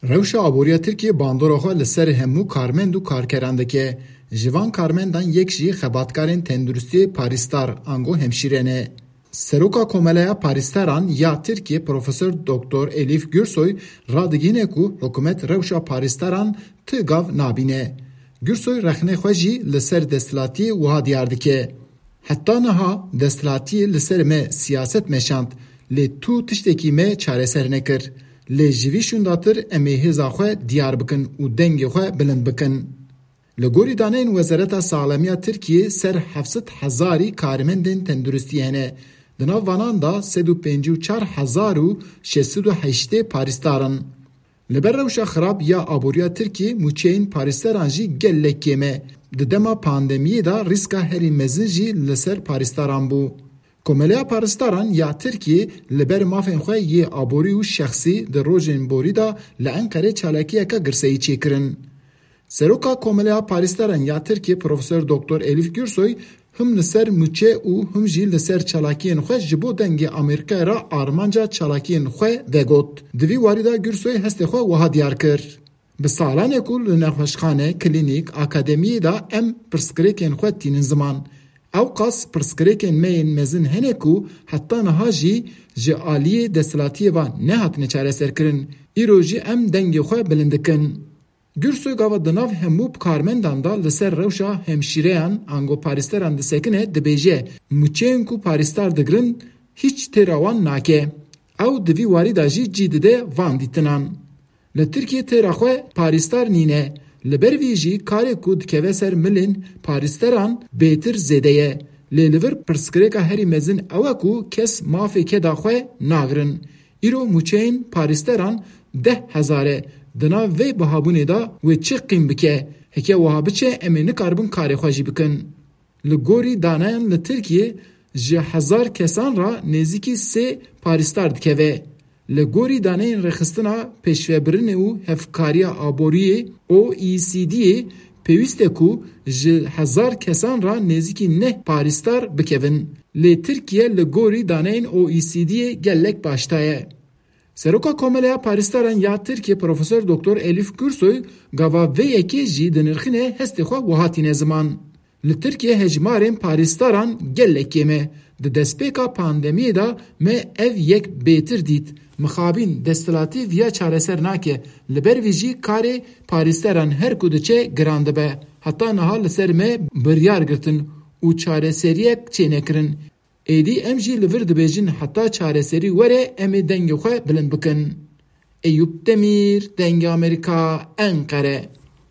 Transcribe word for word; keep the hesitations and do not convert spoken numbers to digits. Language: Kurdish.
Rewşa aboriya Tirkiyê bandora xwe li ser hemû karmend û karkeran dike. Ji van karmendan yek jî xebatkarên tenduristiyê parîstar ango hemşîre ne. Seroka Komeleya Parîstaran ya Tirkiyê Profesor Doktor Elif Gürsoy radigihîne ku hikûmet rewşa parîstaran ti gav nabîne. Gürsoy rexnê xwe jî li ser desthilatiyê wiha diyar dike. Heta niha desthilatiyê li ser me siyaset meşand, lê tu tiştekî me çareser nekir. Lê ji vî şûndatir em ê hêza xwe diyar bikin û dengê xwe bilind bikin. Li gorî daneyên Wezareta Saxlemiya Tirkiyê ser heft sed hezarî karmendên tenduristiyê hene. Di nav vanan de sed û pêncî û çar hezar û şeş sed û heştê parîstar in. Li ber rewşa xirab ya aboriya Tirkiyê mûçeyên parîsteran jî gelek kêm e. Di dema pandemiyê de rîska herî mezin jî li ser parîstaran bû. Komeleya Parîstaran ya Tirkiyê li ber mafên xwe yê aborî û şexsî di rojên borî de li Enqerê çalakiyeke girseyî çêkirin. Seroka Komeleya Parîstaran ya Tirkiyê Profesor Doktor Elif Gürsoy him li ser mûçe û him jî li ser çalakiyên xwe ji bo Dengê Amerîkayê re armanca çalakiyên xwe vegot. Di vî warî de Gürsoy hestê xwe wiha diyar kir: Bi salan e ku li nexweşxane, klînîk, akademiyê de em pirsgirêkên xwe tînin ziman. Ewqas pirsgirêkên me yên mezin hene ku heta niha jî ji aliyê desthilatiyê ve nehatine çareserkirin. Îro jî em dengê xwe bilind dikin. Gürsoy gava di nav hemû karmendan de li ser rewşa hemşîreyan ango parîsteran disekine, dibêje, mûçeyên ku parîstar digirin hîç têra wan nake. Ew di vî warî de jî cî dide van dîtinan. Li Tirkiyê têra xwe parîstar nîne. Li ber vî jî karê ku dikeve ser milên parîsteran bêtir zêde ye. Lê li vir pirsgirêka herî mezin ew e ku kes mafê keda xwe nagirin. Îro mûçeyên parîsteran deh hezar e. Di nav vê bihabûnê de wê çi qîm bike? Heke wiha biçe, em ê nikaribin karê xwe jî bikin. Li gorî daneyan li Tirkiyê ji hezar kesan re nêzîkî sê parîstar dikeve. Li gorî daneyên Rêxistina Pêşvebirinê û Hevkariya Aboriyê, O E C D'ê, pêwîst e ku ji hezar kesan re nêzîkî neh parîstar bikevin. Lê Tirkiye li gorî daneyên O E C D'ê gelek başta ye. Seroka Komeleya Parîstaran ya Tirkiye Profesor Doktor Elif Gürsoy gava vê yekê jî dinirxine hestê xwe wiha tîne ziman: Li Tirkiye hejmarên parîstaran gelek kêm e. Di destpêka pandemiyê de me ev yek bêtir dît. Mixabîn desthilatî viya çareser nake. Li ber vî jî karê parîsteran her ku diçe giran dibe. Heta niha li ser me biryar girtin û çareseriyek çênekirin. Êdî em jî li vir dibêjin heta çareserî were em ê dengê xwe bilind bikin. Eyûp Demîr, Dengê Amerîka, Enqere.